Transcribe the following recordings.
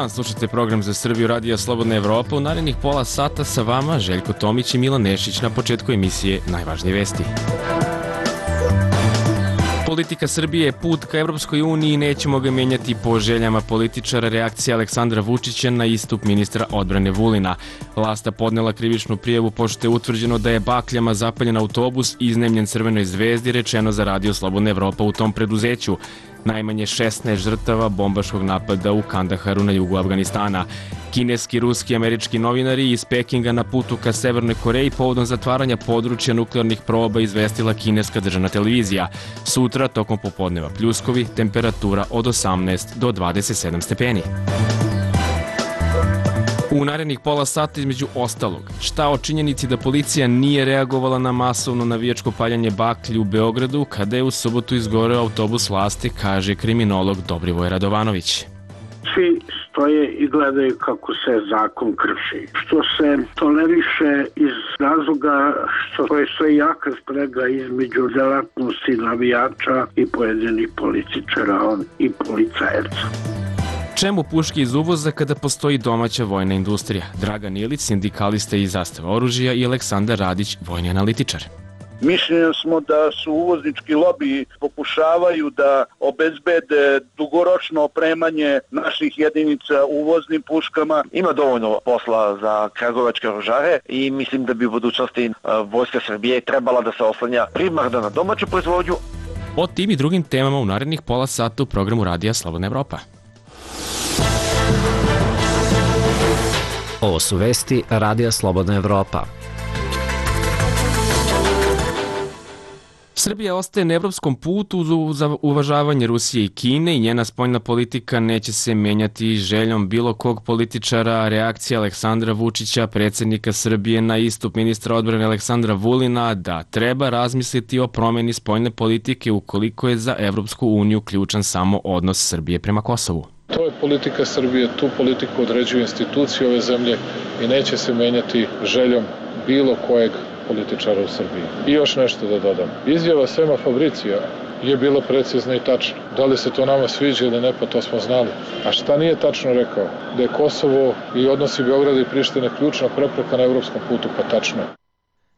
dan, slušajte program za Srbiju Radija Slobodna Evropa. U narednih pola sata sa vama Željko Tomić i Milan Nešić. Na početku emisije najvažnije vesti. Politika Srbije je put ka Evropskoj uniji i nećemo ga menjati po željama političara. Reakcija Aleksandra Vučića na istup ministra odbrane Vulina. Lasta podnela krivičnu prijavu pošto je utvrđeno da je bakljama zapaljen autobus iznemljen Crvenoj zvezdi, rečeno za Radio Slobodna Evropa u tom preduzeću. Najmanje 16 žrtava bombaškog napada u Kandaharu na jugu Afganistana. Kineski, ruski i američki novinari iz Pekinga na putu ka Severnoj Koreji povodom zatvaranja područja nuklearnih proba, izvestila kineska državna televizija. Sutra, tokom popodneva pljuskovi, temperatura od 18 do 27 stepeni. U narednih pola sata između ostalog, šta o činjenici da policija nije reagovala na masovno navijačko paljanje baklji u Beogradu kada je u subotu izgoreo autobus vlasti, kaže kriminolog Dobrivoje Radovanović. Svi stoje i gledaju kako se zakon krši, što se toleriše iz razloga što postoji jaka sprega između delatnosti navijača i pojedinih političara i policajaca. Čemu puške iz uvoza kada postoji domaća vojna industrija? Dragan Ilić, sindikalista iz Zastava oružja, i Aleksandar Radić, vojni analitičar. Mišljenja smo da su uvoznički lobiji pokušavaju da obezbede dugoročno opremanje naših jedinica uvoznim puškama. Ima dovoljno posla za kragujevačke oružare i mislim da bi u budućnosti Vojska Srbije trebala da se oslanja primarno na domaću proizvodnju. O tim i drugim temama u narednih pola sata u programu Radija Slobodna Evropa. Ovo su vesti Radija Slobodna Evropa. Srbija ostaje na evropskom putu za uvažavanje Rusije i Kine i njena spoljna politika neće se menjati željom bilo kog političara. Reakcija Aleksandra Vučića, predsjednika Srbije, na istup ministra odbrane Aleksandra Vulina da treba razmisliti o promjeni spoljne politike ukoliko je za Evropsku uniju ključan samo odnos Srbije prema Kosovu. To je politika Srbije, tu politiku određuju institucije ove zemlje i neće se menjati željom bilo kojeg političara u Srbiji. I još nešto da dodam. Izjava Sema Fabricija je bila precizna i tačna. Da li se to nama sviđa ili ne, pa to smo znali. A šta nije tačno rekao? Da je Kosovo i odnosi Beograda i Prištine ključna prepreka na evropskom putu, pa tačno je.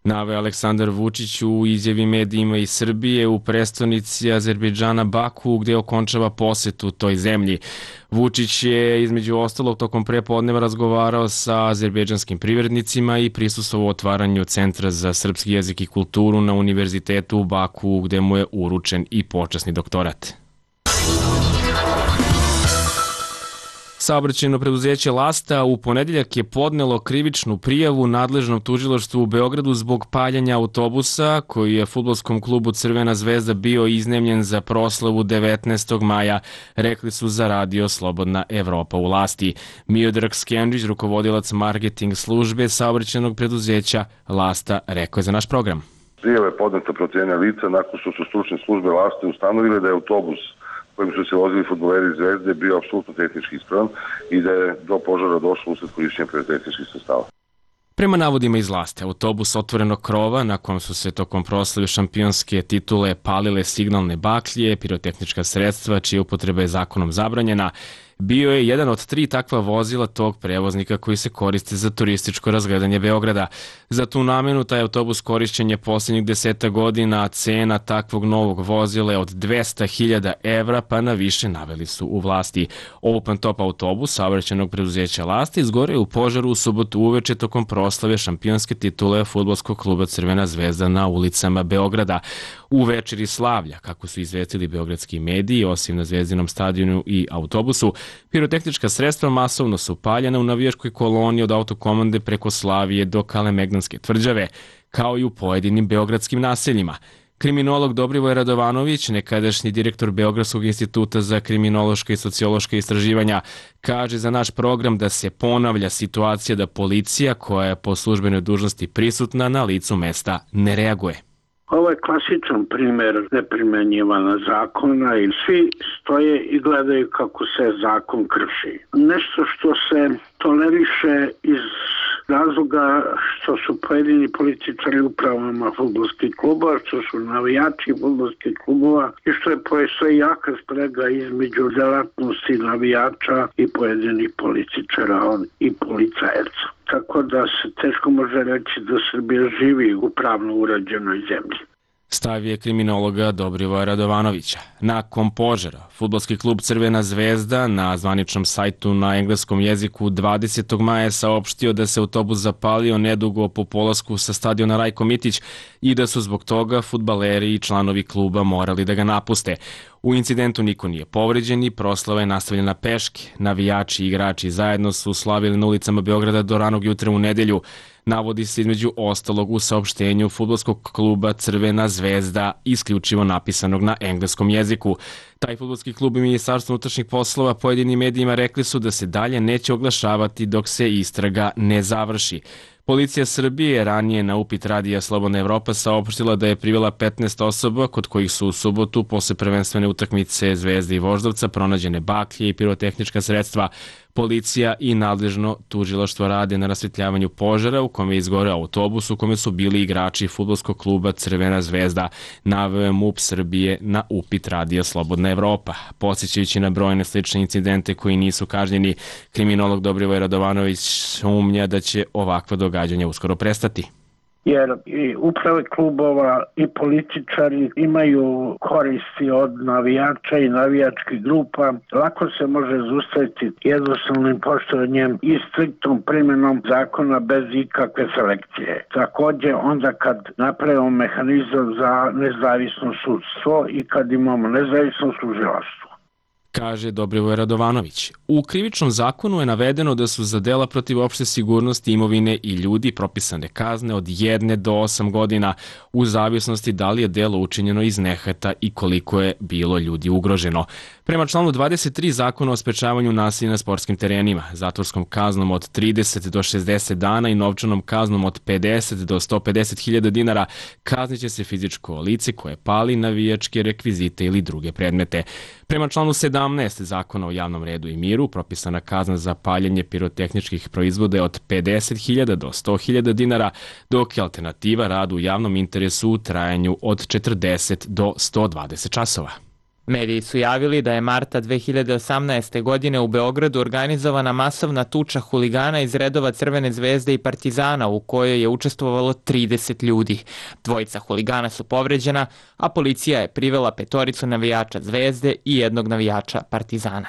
Naveo Aleksandar Vučić u izjavi medijima iz Srbije u prestonici Azerbejdžana Baku, gde okončava posetu toj zemlji. Vučić je između ostalog tokom prepodneva razgovarao sa azerbejdžanskim privrednicima i prisustvovao otvaranju Centra za srpski jezik i kulturu na Univerzitetu u Baku, gde mu je uručen i počasni doktorat. Saobraćajno preduzeće Lasta u ponedeljak je podnelo krivičnu prijavu nadležnom tužilaštvu u Beogradu zbog paljanja autobusa koji je fudbalskom klubu Crvena zvezda bio iznemljen za proslavu 19. maja, rekli su za Radio Slobodna Evropa u Lasti. Miodrag Skendić, rukovodilac marketing službe saobraćajnog preduzeća Lasta, rekao je za naš program. Prijava je podneta protiv jednog lica nakon što su stručne službe Laste ustanovile da je autobus kojim su se vozili fudbaleri Zvezde bio apsolutno tehnički ispravan i da je do požara došlo usled korišćenja pirotehničkih sredstava. Prema navodima iz Laste, autobus otvorenog krova na kojem su se tokom proslave šampionske titule palile signalne baklje, pirotehnička sredstva čija upotreba je zakonom zabranjena, bio je jedan od 3 takva vozila tog prevoznika koji se koriste za turističko razgledanje Beograda. Za tu namenu taj autobus korišćen je posljednjih 10 godina, a cena takvog novog vozila je od 200.000 evra, pa na više naveli su u Vlasti. Open top autobus saobraćajnog preduzeća Lasta izgoreo u požaru u subotu uveče tokom proslave šampionske titule fudbalskog kluba Crvena zvezda na ulicama Beograda. U večeri slavlja, kako su izvestili beogradski mediji, osim na Zvezdinom stadionu i autobusu, pirotehnička sredstva masovno su paljena u navijačkoj koloni od Autokomande preko Slavije do Kalemegdanske tvrđave, kao i u pojedinim beogradskim naseljima. Kriminolog Dobrivoje Radovanović, nekadašnji direktor Beogradskog instituta za kriminološka i sociološka istraživanja, kaže za naš program da se ponavlja situacija da policija, koja je po službenoj dužnosti prisutna na licu mesta, ne reaguje. Ovo je klasičan primjer neprimenjivana zakona i svi stoje i gledaju kako se zakon krši. Nešto što se toleriše iz razloga što su pojedini političari u upravama fudbalskih klubova, što su navijači fudbalskih klubova i što je postoji jaka sprega između delatnosti navijača i pojedinih političara i policajaca. Tako da se teško može reći da Srbija živi u pravno urađenoj zemlji. Stav je kriminologa Dobrivoja Radovanovića. Nakon požara, fudbalski klub Crvena zvezda na zvaničnom sajtu na engleskom jeziku 20. maja saopštio da se autobus zapalio nedugo po polasku sa stadiona Rajko Mitić i da su zbog toga fudbaleri i članovi kluba morali da ga napuste. U incidentu niko nije povređen i proslava je nastavljena peške. Navijači i igrači zajedno su slavili na ulicama Beograda do ranog jutra u nedelju. Navodi se između ostalog u saopštenju fudbalskog kluba Crvena zvezda, isključivo napisanog na engleskom jeziku. Taj fudbalski klub i Ministarstvo unutrašnjih poslova pojedinim medijima rekli su da se dalje neće oglašavati dok se istraga ne završi. Policija Srbije je ranije na upit Radija Slobodna Evropa saopštila da je privela 15 osoba kod kojih su u subotu posle prvenstvene utakmice Zvezde i Voždovca pronađene baklje i pirotehnička sredstva. Policija i nadležno tužilaštvo rade na rasvetljavanju požara u kome je izgoreo autobus u kome su bili igrači fudbalskog kluba Crvena zvezda, naveo je MUP Srbije na upit Radija Slobodna Evropa. Podsjećajući na brojne slične incidente koji nisu kažnjeni, kriminolog Dobrivoje Radovanović sumnja da će ovakva događanja uskoro prestati. Jer i uprave klubova i političari imaju koristi od navijača i navijačkih grupa. Lako se može zaustaviti jednostavnim poštovanjem i striktnom primjenom zakona bez ikakve selekcije. Takođe, onda kad napravimo mehanizam za nezavisno sudstvo i kad imamo nezavisno tužilaštvo, kaže Dobrivoje Radovanović. U krivičnom zakonu je navedeno da su za dela protiv opšte sigurnosti imovine i ljudi propisane kazne od 1 do 8 godina u zavisnosti da li je delo učinjeno iz nehata i koliko je bilo ljudi ugroženo. Prema članu 23 Zakona o sprečavanju nasilja na sportskim terenima, zatvorskom kaznom od 30 do 60 dana i novčanom kaznom od 50 do 150.000 dinara kazniće se fizičko lice koje pali navijačke rekvizite ili druge predmete. Prema članu 17 Zakona o javnom redu i miru propisana kazna za paljenje pirotehničkih proizvoda je od 50.000 do 100.000 dinara, dok je alternativa rad u javnom interesu u trajanju od 40 do 120 časova. Mediji su javili da je marta 2018. godine u Beogradu organizovana masovna tuča huligana iz redova Crvene zvezde i Partizana u kojoj je učestvovalo 30 ljudi. Dvojica huligana su povređena, a policija je privela 5 navijača Zvezde i 1 navijača Partizana.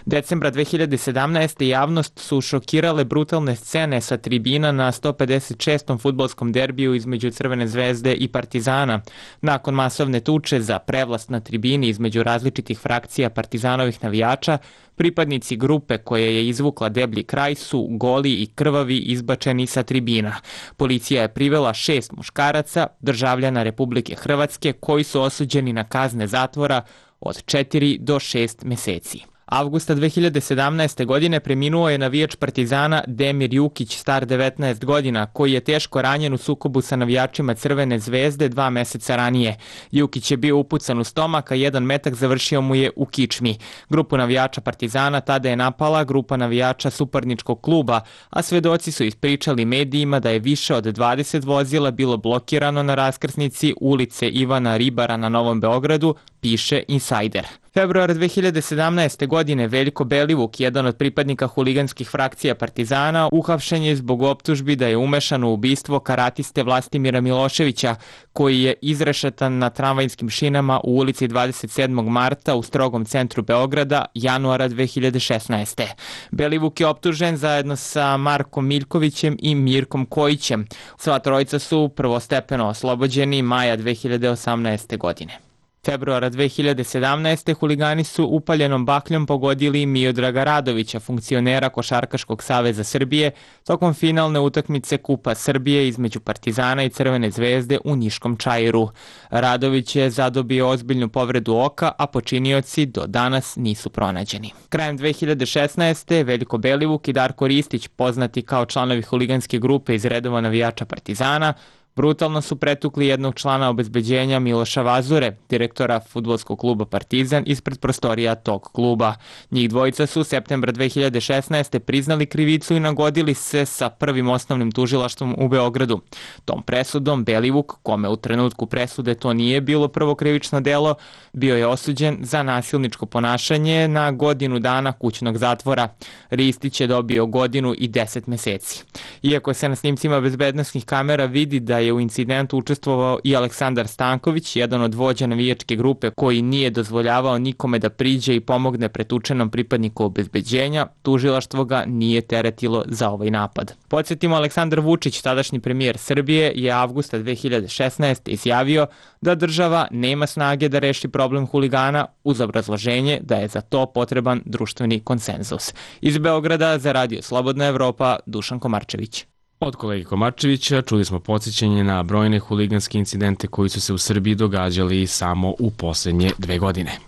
Decembra 2017. javnost su šokirale brutalne scene sa tribina na 156. fudbalskom derbiju između Crvene zvezde i Partizana. Nakon masovne tuče za prevlast na tribini između različitih frakcija Partizanovih navijača, pripadnici grupe koja je izvukla deblji kraj su goli i krvavi izbačeni sa tribina. Policija je privela 6 muškaraca, državljana Republike Hrvatske, koji su osuđeni na kazne zatvora od 4 do 6 meseci. Avgusta 2017. godine preminuo je navijač Partizana Demir Jukić, star 19 godina, koji je teško ranjen u sukobu sa navijačima Crvene zvezde 2 meseca ranije. Jukić je bio upucan u stomak, a 1 metak završio mu je u kičmi. Grupu navijača Partizana tada je napala grupa navijača suparničkog kluba, a svedoci su ispričali medijima da je više od 20 vozila bilo blokirano na raskrsnici ulice Ivana Ribara na Novom Beogradu, piše Insider. Februara 2017. godine Veljko Belivuk, jedan od pripadnika huliganskih frakcija Partizana, uhapšen je zbog optužbi da je umešan u ubistvo karatiste Vlastimira Miloševića, koji je izrešetan na tramvajskim šinama u ulici 27. marta u strogom centru Beograda januara 2016. Belivuk je optužen zajedno sa Markom Miljkovićem i Mirkom Kojićem. Sva trojica su prvostepeno oslobođeni maja 2018. godine. Februara 2017. huligani su upaljenom bakljom pogodili Miodraga Radovića, funkcionera Košarkaškog saveza Srbije, tokom finalne utakmice Kupa Srbije između Partizana i Crvene zvezde u Niškom Čairu. Radović je zadobio ozbiljnu povredu oka, a počinioci do danas nisu pronađeni. Krajem 2016. Veljko Belivuk i Darko Ristić, poznati kao članovi huliganske grupe iz redova navijača Partizana, Brutalno su pretukli jednog člana obezbeđenja Miloša Vazure, direktora fudbalskog kluba Partizan, ispred prostorija tog kluba. Njih dvojica su septembra 2016. priznali krivicu i nagodili se sa Prvim osnovnim tužilaštvom u Beogradu. Tom presudom Belivuk, kome u trenutku presude to nije bilo prvo krivično delo, bio je osuđen za nasilničko ponašanje na godinu dana kućnog zatvora. Ristić je dobio godinu i 10 meseci. Iako se na snimcima bezbednosnih kamera vidi da je u incidentu učestvovao i Aleksandar Stanković, jedan od vođa navijačke grupe koji nije dozvoljavao nikome da priđe i pomogne pretučenom pripadniku obezbeđenja, tužilaštvo ga nije teretilo za ovaj napad. Podsjetimo, Aleksandar Vučić, tadašnji premijer Srbije, je avgusta 2016. izjavio da država nema snage da reši problem huligana uz obrazloženje da je za to potreban društveni konsenzus. Iz Beograda za Radio Slobodna Evropa, Dušan Komarčević. Od kolege Komarčevića čuli smo podsjećanje na brojne huliganske incidente koji su se u Srbiji događali samo u poslednje 2 godine.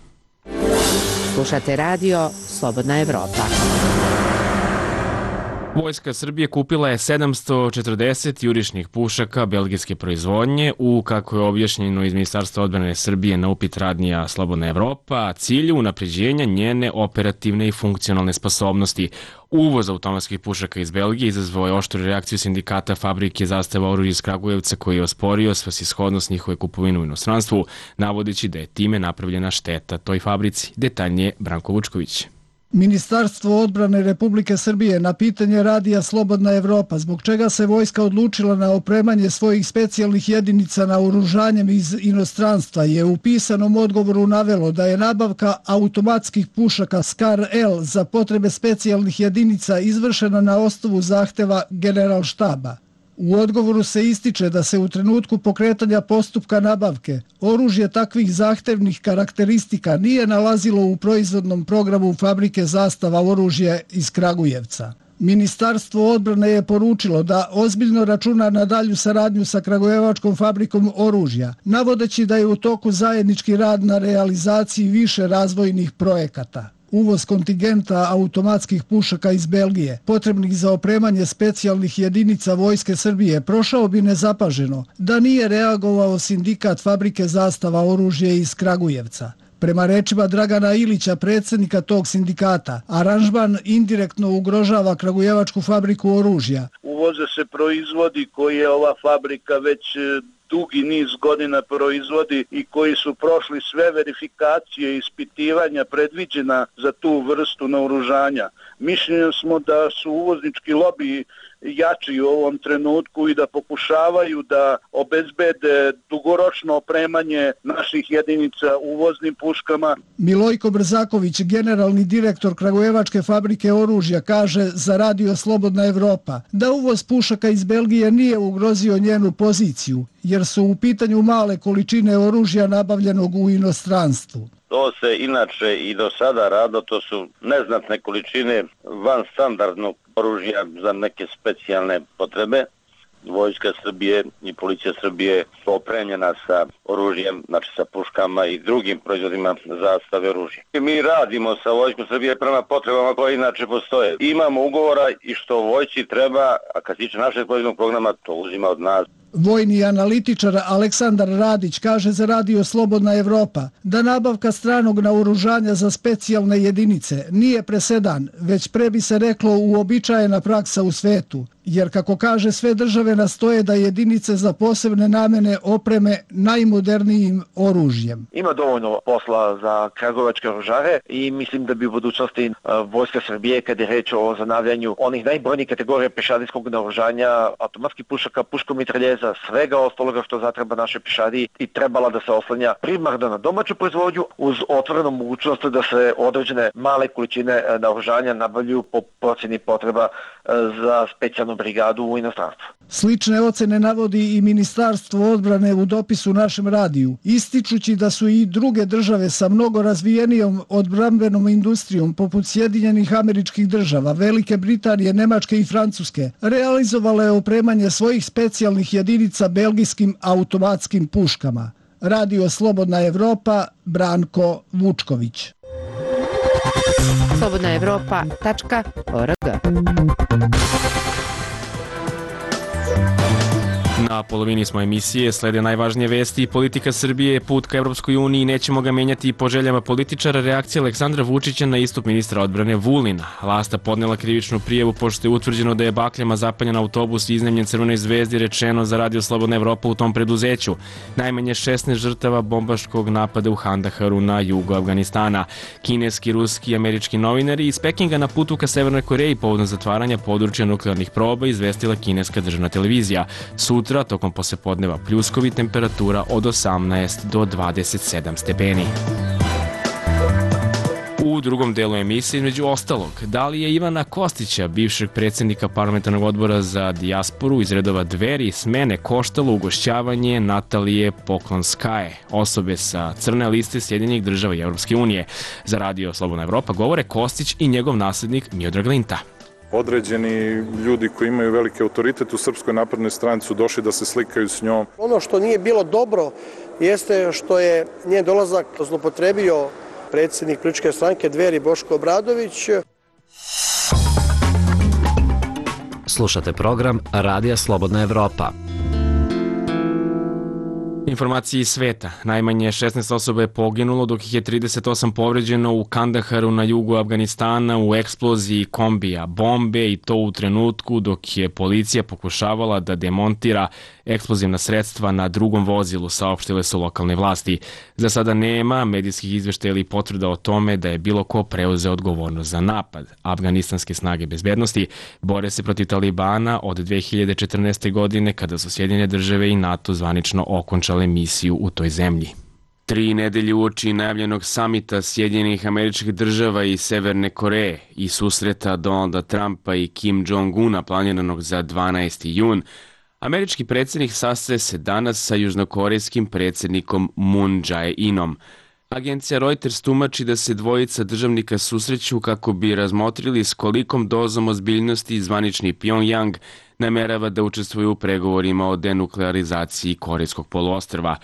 Slušate Radio Slobodna Evropa. Vojska Srbije kupila je 740 jurišnih pušaka belgijske proizvodnje u, kako je objašnjeno iz Ministarstva odbrane Srbije na upit radnija Slobodna Evropa, cilju unapređenja njene operativne i funkcionalne sposobnosti. Uvoz automatskih pušaka iz Belgije izazvao je oštru reakciju sindikata fabrike Zastava oružja iz Kragujevca, koji je osporio svrsishodnost njihove kupovine u inostranstvu, navodeći da je time napravljena šteta toj fabrici. Detaljnije Branko Vučković. Ministarstvo odbrane Republike Srbije na pitanje radija Slobodna Evropa zbog čega se vojska odlučila na opremanje svojih specijalnih jedinica naoružanjem iz inostranstva je u pisanom odgovoru navelo da je nabavka automatskih pušaka SCAR-L za potrebe specijalnih jedinica izvršena na osnovu zahteva Generalštaba. U odgovoru se ističe da se u trenutku pokretanja postupka nabavke oružje takvih zahtevnih karakteristika nije nalazilo u proizvodnom programu fabrike Zastava oružje iz Kragujevca. Ministarstvo odbrane je poručilo da ozbiljno računa na dalju saradnju sa Kragujevačkom fabrikom oružja, navodeći da je u toku zajednički rad na realizaciji više razvojnih projekata. Uvoz kontingenta automatskih pušaka iz Belgije, potrebnih za opremanje specijalnih jedinica Vojske Srbije, prošao bi nezapaženo da nije reagovao sindikat fabrike Zastava oružje iz Kragujevca. Prema rečima Dragana Ilića, predsjednika tog sindikata, aranžman indirektno ugrožava Kragujevačku fabriku oružja. Uvoze se proizvodi koje ova fabrika već dugi niz godina proizvodi i koji su prošli sve verifikacije i ispitivanja predviđena za tu vrstu naoružanja. Mišljenja smo da su uvoznički lobiji jači u ovom trenutku i da pokušavaju da obezbede dugoročno opremanje naših jedinica uvoznim puškama. Milojko Brzaković, generalni direktor Kragujevačke fabrike oružja, kaže za Radio Slobodna Evropa da uvoz pušaka iz Belgije nije ugrozio njenu poziciju, jer su u pitanju male količine oružja nabavljenog u inostranstvu. To se inače i do sada rado, to su neznatne količine van standardnog oružja za neke specijalne potrebe. Vojska Srbije i policija Srbije su opremljena sa oružjem, znači sa puškama i drugim proizvodima zastave oružja. Mi radimo sa Vojskom Srbije prema potrebama koje inače postoje. Imamo ugovora i što vojsci treba, a kad se tiče našeg proizvodnog programa, to uzima od nas. Vojni analitičar Aleksandar Radić kaže za Radio Slobodna Evropa da nabavka stranog naoružanja za specijalne jedinice nije presedan, već pre bi se reklo uobičajena praksa u svetu, jer kako kaže sve države nastoje da jedinice za posebne namene opreme najmodernijim oružjem. Ima dovoljno posla za kragujevačke oružare i mislim da bi u budućnosti Vojska Srbije, kada je reč o zanavljanju onih najbrojnijih kategorija pešadijskog naoružanja, automatskih pušaka, puškomitraljeza, svega ostaloga što zatreba naše pešadiji, i trebala da se oslanja primarno na domaću proizvodnju uz otvorenu mogućnost da se određene male količine naoružanja nabavljuju po procjeni potreba za specijalnu brigadu u inostranstvu. Slične ocene navodi i Ministarstvo odbrane u dopisu našem radiju, ističući da su i druge države sa mnogo razvijenijom odbrambenom industrijom poput Sjedinjenih Američkih Država, Velike Britanije, Nemačke i Francuske realizovale opremanje svojih specijalnih jedinica belgijskim automatskim puškama. Radio Slobodna Evropa, Branko Vučković. slobodnaevropa.org. Na polovini smo emisije, slede najvažnije vesti. Politika Srbije je put ka Evropskoj uniji, nećemo ga menjati po željama političara. Reakcija Aleksandra Vučića na istup ministra odbrane Vulina. Lasta podnela krivičnu prijavu pošto je utvrđeno da je bakljama zapaljen autobus i iznemljen Crvenoj zvezdi, rečeno za Radio Slobodna Evropa u tom preduzeću. Najmanje 16 žrtava bombaškog napada u Kandaharu na jugu Afganistana. Kineski, ruski i američki novinari iz Pekinga na putu ka Severnoj Koreji povodom zatvaranja područja nuklearnih proba, izvestila kineska državna televizija. Sutra, tokom poslepodneva, pljuskovi, temperatura od 18 do 27 stepeni. U drugom delu emisije, između ostalog, da li je Ivana Kostića, bivšeg predsjednika parlamentarnog odbora za dijasporu iz redova Dveri, smene koštalo ugošćavanje Natalije Poklonskaje, osobe sa crne liste Sjedinjenih država i Evropske unije. Za Radio Slobodna Evropa govore Kostić i njegov naslednik Miodrag Linta. Određeni ljudi koji imaju veliki autoritet u Srpskoj naprednoj stranci su došli da se slikaju s njom. Ono što nije bilo dobro jeste što je njen dolazak zlopotrebio predsjednik političke stranke Dveri Boško Obradović. Slušate program Radija Slobodna Evropa. Informacije iz sveta. Najmanje 16 osoba je poginulo, dok ih je 38 povređeno u Kandaharu na jugu Afganistana u eksploziji kombija bombe, i to u trenutku dok je policija pokušavala da demontira eksplozivna sredstva na drugom vozilu, saopštile su lokalne vlasti. Za sada nema medijskih izveštaja ili potvrda o tome da je bilo ko preuzeo odgovornost za napad. Afganistanske snage bezbednosti bore se protiv Talibana od 2014. godine, kada su Sjedinjene države i NATO zvanično okončale misiju u toj zemlji. 3 nedelje uoči najavljenog samita Sjedinjenih Američkih Država i Severne Koreje i susreta Donalda Trumpa i Kim Jong-una planiranog za 12. jun, američki predsjednik sastaje se danas sa južnokorejskim predsjednikom Moon Jae-inom. Agencija Reuters tumači da se dvojica državnika susreću kako bi razmotrili s kolikom dozom ozbiljnosti zvanični Pyongyang namerava da učestvuje u pregovorima o denuklearizaciji Korejskog poluostrva.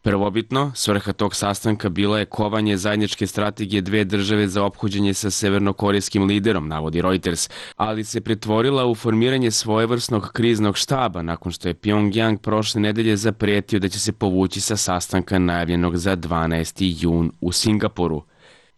Prvobitno, svrha tog sastanka bila je kovanje zajedničke strategije dve države za ophođenje sa severnokorejskim liderom, navodi Reuters, ali se pretvorila u formiranje svojevrsnog kriznog štaba nakon što je Pyongyang prošle nedelje zapretio da će se povući sa sastanka najavljenog za 12. jun u Singapuru.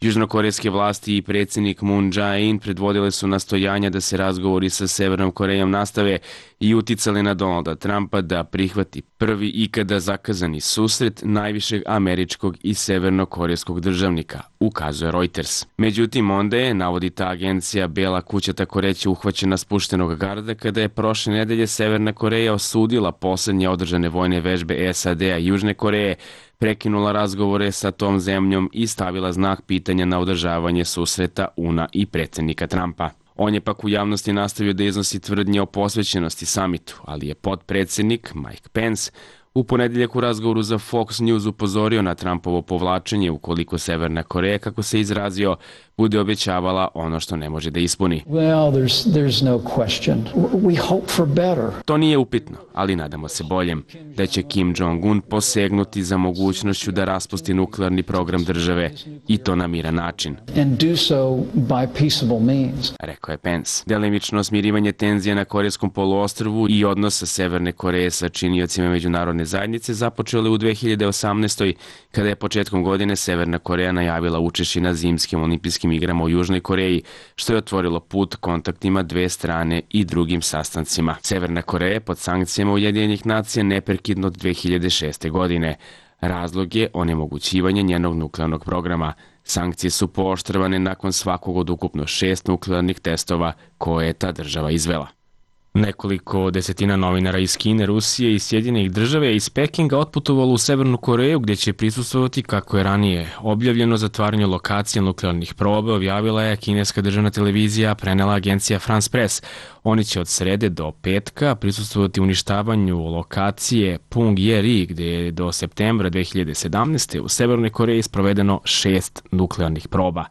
Južnokorejske vlasti i predsjednik Moon Jae-in predvodile su nastojanja da se razgovori sa Severnom Korejom nastave i uticali na Donalda Trumpa da prihvati prvi ikada zakazani susret najvišeg američkog i severnokorejskog državnika, ukazuje Reuters. Međutim, onda je, navodi ta agencija, Bela kuća tako reći uhvaćena spuštenog garda kada je prošle nedelje Severna Koreja osudila poslednje održane vojne vežbe SAD-a i Južne Koreje, prekinula razgovore sa tom zemljom i stavila znak pitanja na održavanje susreta UNA i predsjednika Trumpa. On je pak u javnosti nastavio da iznosi tvrdnje o posvećenosti samitu, ali je potpredsjednik Mike Pence u ponedeljak u razgovoru za Fox News upozorio na Trumpovo povlačenje ukoliko Severna Koreja, kako se izrazio, bude obećavala ono što ne može da ispuni. To nije upitno, ali nadamo se boljem, da će Kim Jong-un posegnuti za mogućnošću da raspusti nuklearni program države, i to na miran način, rekao je Pence. Delimično smirivanje tenzija na Korejskom poluostrvu i odnosa Severne Koreje sa činiocima međunarodne zajednice započele u 2018. kada je početkom godine Severna Koreja najavila učešće na zimskim olimpijskim igrama u Južnoj Koreji, što je otvorilo put kontaktima dve strane i drugim sastancima. Severna Koreja je pod sankcijama Ujedinjenih nacija neprekidno od 2006. godine. Razlog je onemogućivanje njenog nuklearnog programa. Sankcije su pooštravane nakon svakog od ukupno 6 nuklearnih testova koje je ta država izvela. Nekoliko desetina novinara iz Kine, Rusije i Sjedinjenih država je iz Pekinga otputovalo u Severnu Koreju, gdje će prisustvovati, kako je ranije objavljeno, zatvaranju lokacije nuklearnih proba, objavila je kineska državna televizija, prenela agencija France Press. Oni će od srede do petka prisustvovati uništavanju lokacije Punggye-ri, gdje je do septembra 2017. u Severnoj Koreji sprovedeno 6 nuklearnih proba.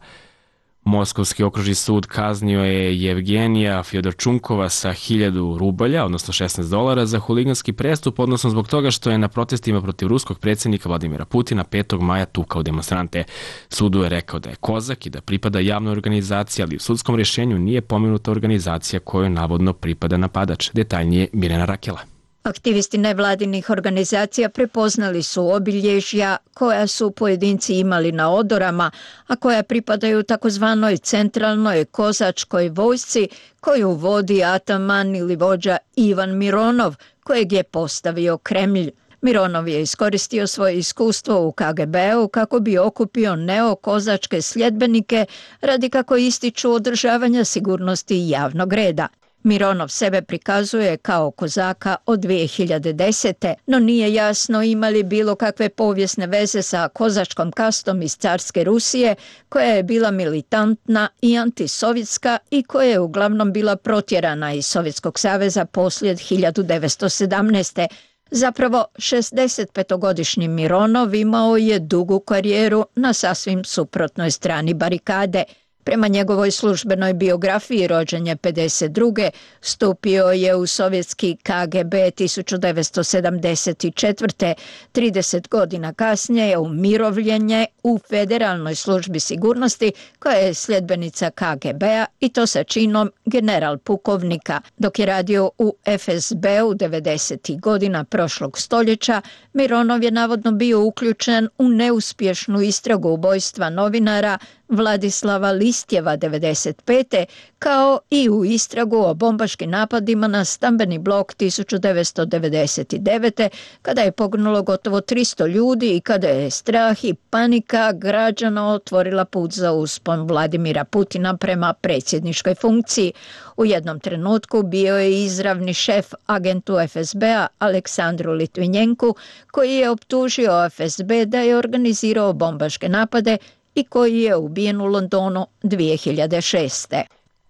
Moskovski okružni sud kaznio je Jevgenija Fjodorčunkova sa 1000 rubalja, odnosno $16, za huliganski prestup, odnosno zbog toga što je na protestima protiv ruskog predsjednika Vladimira Putina 5. maja tukao demonstrante. Sudu je rekao da je kozak i da pripada javnoj organizaciji, ali u sudskom rješenju nije pomenuta organizacija kojoj navodno pripada napadač. Detaljnije Mirjana Rakela. Aktivisti nevladinih organizacija prepoznali su obilježja koja su pojedinci imali na odorama, a koja pripadaju takozvanoj centralnoj kozačkoj vojsci koju vodi ataman ili vođa Ivan Mironov, kojeg je postavio Kremlj. Mironov je iskoristio svoje iskustvo u KGB-u kako bi okupio neokozačke sljedbenike radi, kako ističu, održavanja sigurnosti i javnog reda. Mironov sebe prikazuje kao kozaka od 2010. no nije jasno ima li bilo kakve povijesne veze sa kozačkom kastom iz carske Rusije, koja je bila militantna i antisovjetska i koja je uglavnom bila protjerana iz Sovjetskog saveza poslije 1917. Zapravo, 65-godišnji Mironov imao je dugu karijeru na sasvim suprotnoj strani barikade. Prema njegovoj službenoj biografiji, rođen je 52. Stupio je u sovjetski KGB 1974. 30 godina kasnije je umirovljen u Federalnoj službi sigurnosti, koja je sljedbenica KGB-a, i to sa činom general pukovnika. Dok je radio u FSB-u 90. godina prošlog stoljeća, Mironov je navodno bio uključen u neuspješnu istragu ubojstva novinara Vladislava Listjeva 95. kao i u istragu o bombaškim napadima na stambeni blok 1999. kada je poginulo gotovo 300 ljudi i kada je strah i panika građana otvorila put za uspon Vladimira Putina prema predsjedničkoj funkciji. U jednom trenutku bio je izravni šef agentu FSB-a Aleksandru Litvinjenku, koji je optužio FSB da je organizirao bombaške napade i koji je ubijen u Londonu 2006.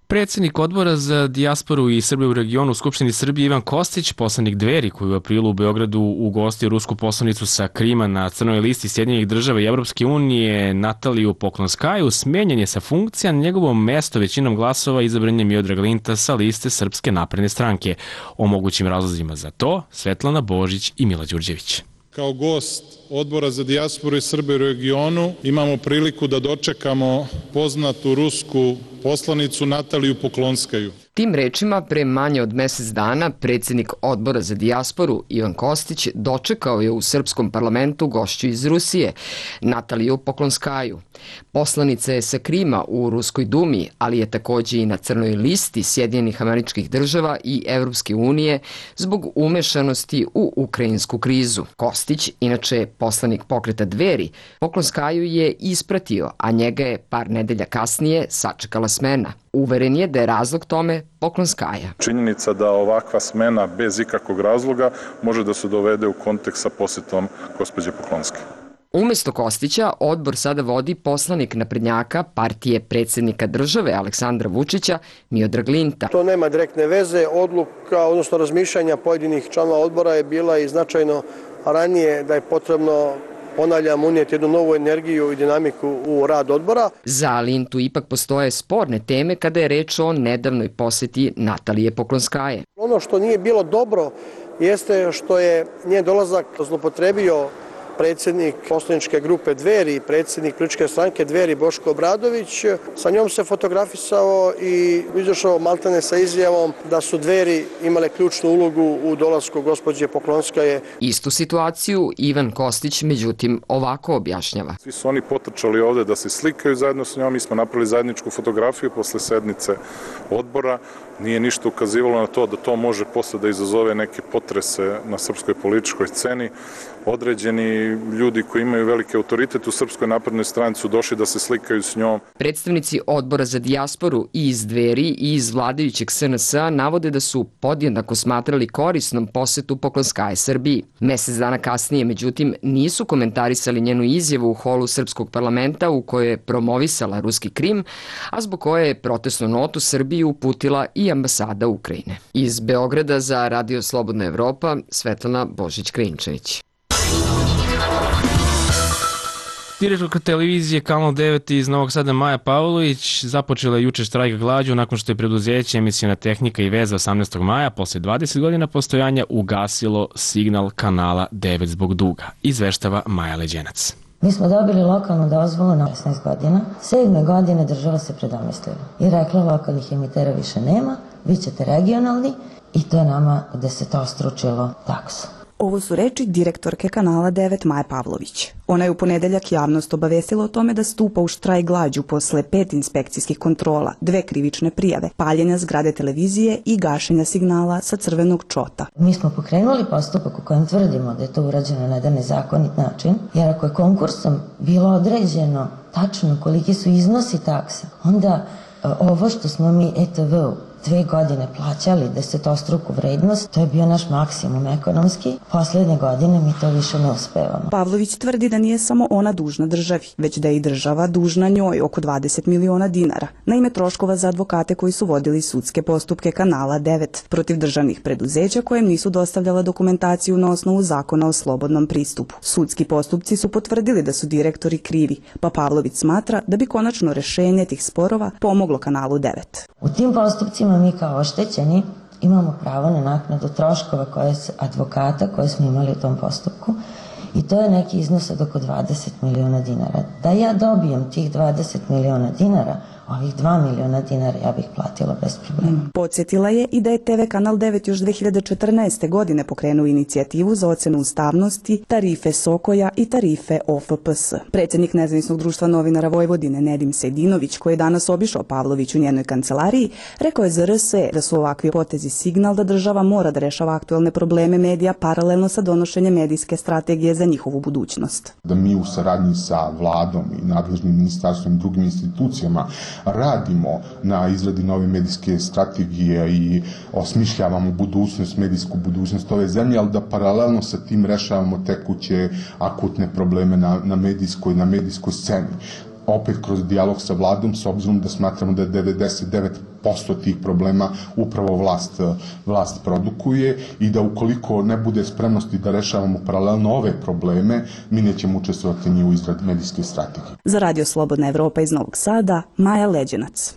Predsjednik odbora za dijasporu i Srbe u regionu u Skupštini Srbije Ivan Kostić, poslanik Dveri koji u aprilu u Beogradu ugostio rusku poslanicu sa Krima na crnoj listi Sjedinjenih država i Evropske unije Nataliju Poklonskaju, smenjen je sa funkcija. Na njegovo mesto većinom glasova izabran je Miodrag Linta sa liste Srpske napredne stranke. O mogućim razlozima za to Svetlana Božić i Mila Đurđević. Kao gost Odbora za dijasporu i Srbe u regionu imamo priliku da dočekamo poznatu rusku poslanicu Nataliju Poklonskaju. Tim rečima, pre manje od mesec dana, predsjednik Odbora za dijasporu Ivan Kostić dočekao je u srpskom parlamentu gošću iz Rusije, Nataliju Poklonskaju. Poslanica je sa Krima u Ruskoj dumi, ali je takođe i na crnoj listi Sjedinjenih Američkih Država i Evropske unije zbog umešanosti u ukrajinsku krizu. Kostić, inače poslanik pokreta Dveri, Poklonskaju je ispratio, a njega je par nedelja kasnije sačekala smena. Uveren je da je razlog tome Poklonskaja. Činjenica da ovakva smena bez ikakvog razloga može da se dovede u kontekst sa posjetom gospođe Poklonske. Umesto Kostića, odbor sada vodi poslanik naprednjaka partije predsjednika države Aleksandra Vučića, Miodrag Linta. To nema direktne veze, odluka, odnosno razmišljanja pojedinih članova odbora je bila i značajno ranije da je potrebno, ponavljam, unijeti jednu novu energiju i dinamiku u rad odbora. Za Lintu ipak postoje sporne teme kada je reč o nedavnoj posjeti Natalije Poklonskaje. Ono što nije bilo dobro jeste što je njen dolazak zloupotrebio predsjednik poslaničke grupe Dveri, predsjednik političke stranke Dveri Boško Obradović. Sa njom se fotografisao i izašao maltene sa izjavom da su Dveri imale ključnu ulogu u dolasku gospođe Poklonskaje. Istu situaciju Ivan Kostić, međutim, ovako objašnjava. Svi su oni potrčali ovde da se slikaju zajedno s njom, mi smo napravili zajedničku fotografiju posle sednice odbora. Nije ništa ukazivalo na to da to može posle da izazove neke potrese na srpskoj političkoj sceni. Određeni ljudi koji imaju veliki autoritet u Srpskoj naprednoj stranci su došli da se slikaju s njom. Predstavnici Odbora za dijasporu i iz Dveri i iz vladajućeg SNS-a navode da su podjednako smatrali korisnom posetu Poklonskaje Srbiji. Mesec dana kasnije, međutim, nisu komentarisali njenu izjavu u holu Srpskog parlamenta u kojoj je promovisala ruski Krim, a zbog koje je protestnu notu Srbiji uputila i ambasada Ukrajine. Iz Beograda za Radio Slobodna Evropa, Svetlana Božić-Krinčević. Direktorka televizije Kanal 9 iz Novog Sada Maja Pavlović započela je juče štrajk glađu nakon što je preduzeće Emisiona tehnika i veza 18. maja posle 20 godina postojanja ugasilo signal Kanala 9 zbog duga. Izveštava Maja Leđenac. Mi smo dobili lokalnu dozvolu na 16 godina. 7. godine država se predomislila i rekla lokalnih emitera više nema, vi ćete regionalni i to je nama desetostručilo taksu. Ovo su reči direktorke kanala 9 Maje Pavlović. Ona je u ponedeljak javnost obavestila o tome da stupa u štrajk glađu posle 5 inspekcijskih kontrola, 2 krivične prijave, paljenja zgrade televizije i gašenja signala sa crvenog čota. Mi smo pokrenuli postupak u kojem tvrdimo da je to urađeno na jedan nezakonit način, jer ako je konkursom bilo određeno tačno koliki su iznosi taksa, onda ovo što smo mi ETV-u 2 godine plaćali desetostruku vrednost, to je bio naš maksimum ekonomski. Poslednje godine mi to više ne uspevamo. Pavlović tvrdi da nije samo ona dužna državi, već da je i država dužna njoj oko 20 miliona dinara na ime troškova za advokate koji su vodili sudske postupke kanala 9 protiv državnih preduzeća kojem nisu dostavljala dokumentaciju na osnovu zakona o slobodnom pristupu. Sudski postupci su potvrdili da su direktori krivi, pa Pavlović smatra da bi konačno rešenje tih sporova pomoglo kanalu 9. U tim postupcima mi kao oštećeni imamo pravo na naknadu troškova advokata koje smo imali u tom postupku i to je neki iznos od oko 20 miliona dinara. Da ja dobijem tih 20 miliona dinara, ovih 2 miliona dinara ja bih platila bez problema. Podsjetila je i da je TV Kanal 9 još 2014. godine pokrenuo inicijativu za ocenu ustavnosti tarife Sokoja i tarife OFPS. Predsjednik Nezavisnog društva novinara Vojvodine Nedim Sejdinović, koji je danas obišao Pavlović u njenoj kancelariji, rekao je za RS da su ovakvi potezi signal da država mora da rešava aktuelne probleme medija paralelno sa donošenjem medijske strategije za njihovu budućnost. Da mi u saradnji sa vladom i nadležnim ministarstvom i drugim institucijama radimo na izradi nove medijske strategije i osmišljavamo medijsku budućnost ove zemlje, ali da paralelno sa tim rešavamo tekuće akutne probleme na medijskoj sceni. Opet kroz dijalog sa vladom, s obzirom da smatramo da 99% tih problema upravo vlast produkuje i da ukoliko ne bude spremnosti da rešavamo paralelno ove probleme, mi nećemo učestvovati ni u izradi medijske strategije. Za Radio Slobodna Evropa iz Novog Sada, Maja Leđenac.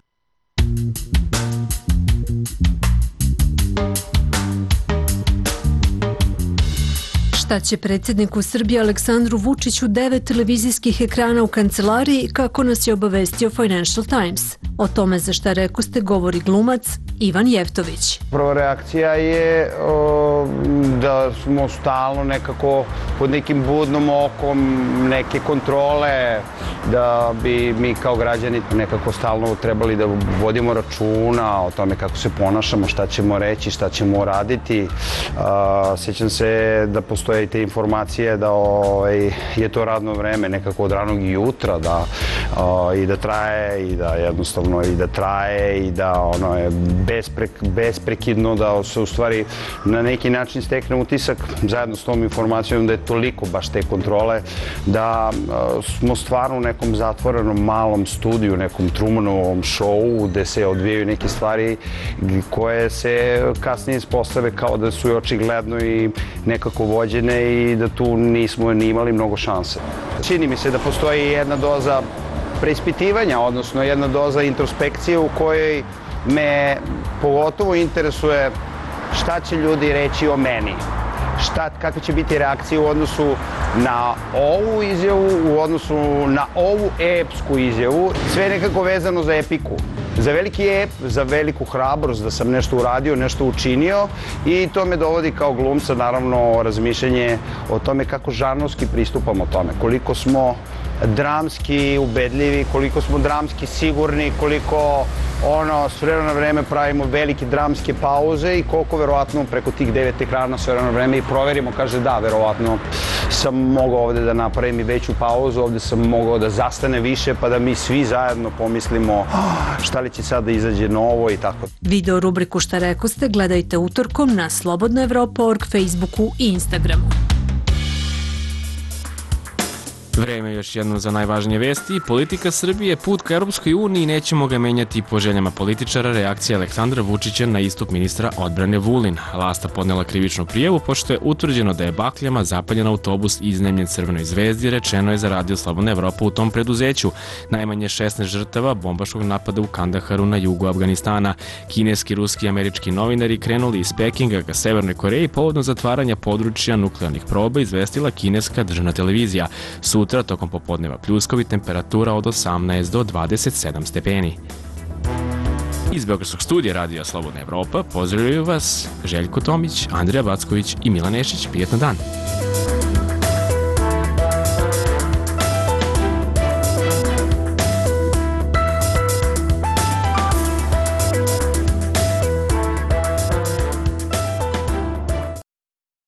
Šta će predsjedniku Srbije Aleksandru Vučiću 9 televizijskih ekrana u kancelariji, kako nas je obavestio Financial Times? O tome za šta rekoste govori glumac Ivan Jevtović. Prva reakcija je da smo stalno nekako pod nekim budnom okom, neke kontrole, da bi mi kao građani nekako stalno trebali da vodimo računa o tome kako se ponašamo, šta ćemo reći, šta ćemo raditi. Sjećam se da postoje i te informacije da je to radno vreme nekako od ranog jutra, i da traje i da jednostavno i da traje i da ono je besprekidno, da se u stvari na neki način stekne utisak zajedno s tom informacijom da je toliko baš te kontrole da smo stvarno u nekom zatvorenom malom studiju, nekom Trumanovom šovu gde se odvijaju neke stvari koje se kasnije ispostave kao da su očigledno i nekako vođene i da tu nismo ni imali mnogo šanse. Čini mi se da postoji jedna doza preispitivanja, odnosno jedna doza introspekcije u kojoj me pogotovo interesuje šta će ljudi reći o meni, kakve će biti reakcije u odnosu na ovu izjavu, u odnosu na ovu epsku izjavu. Sve je nekako vezano za epiku, za veliki ep, za veliku hrabrost da sam nešto uradio, nešto učinio i to me dovodi kao glumca naravno razmišljanje o tome kako žanrovski pristupamo tome, koliko smo dramski ubedljivi, koliko smo dramski sigurni, koliko s vremena na vreme pravimo velike dramske pauze i koliko verovatno preko tih 9 ekrana s vremena na vreme i proverimo, kaže da, verovatno sam mogao ovde da napravim i veću pauzu, ovde sam mogao da zastane više pa da mi svi zajedno pomislimo šta li će sad da izađe novo i tako. Video rubriku Šta rekoste gledajte utorkom na slobodnaevropa.org, Facebooku i Instagramu. Vreme još jedno za najvažnije vesti. Politika Srbije, put ka Europskoj uniji, nećemo ga menjati po željama političara, reakcija Aleksandra Vučića na istup ministra odbrane Vulin. Lasta podnela krivičnu prijavu pošto je utvrđeno da je bakljama zapaljen autobus iznajmljen Crvenoj zvezdi, rečeno je za Radio Slobodna Evropa u tom preduzeću. Najmanje 16 žrtava bombaškog napada u Kandaharu na jugu Afganistana. Kineski, ruski i američki novinari krenuli iz Pekinga ka Severnoj Koreji povodom zatvaranja područja nuklearnih proba, izvestila kineska državna televizija. Sutra, tokom popodneva pljuskovi, temperatura od 18 do 27 stepeni. Iz Beogradskog studija Radija Slobodna Evropa pozdravljaju vas Željko Tomić, Andrija Backović i Milan Nešić. Prijetno dan!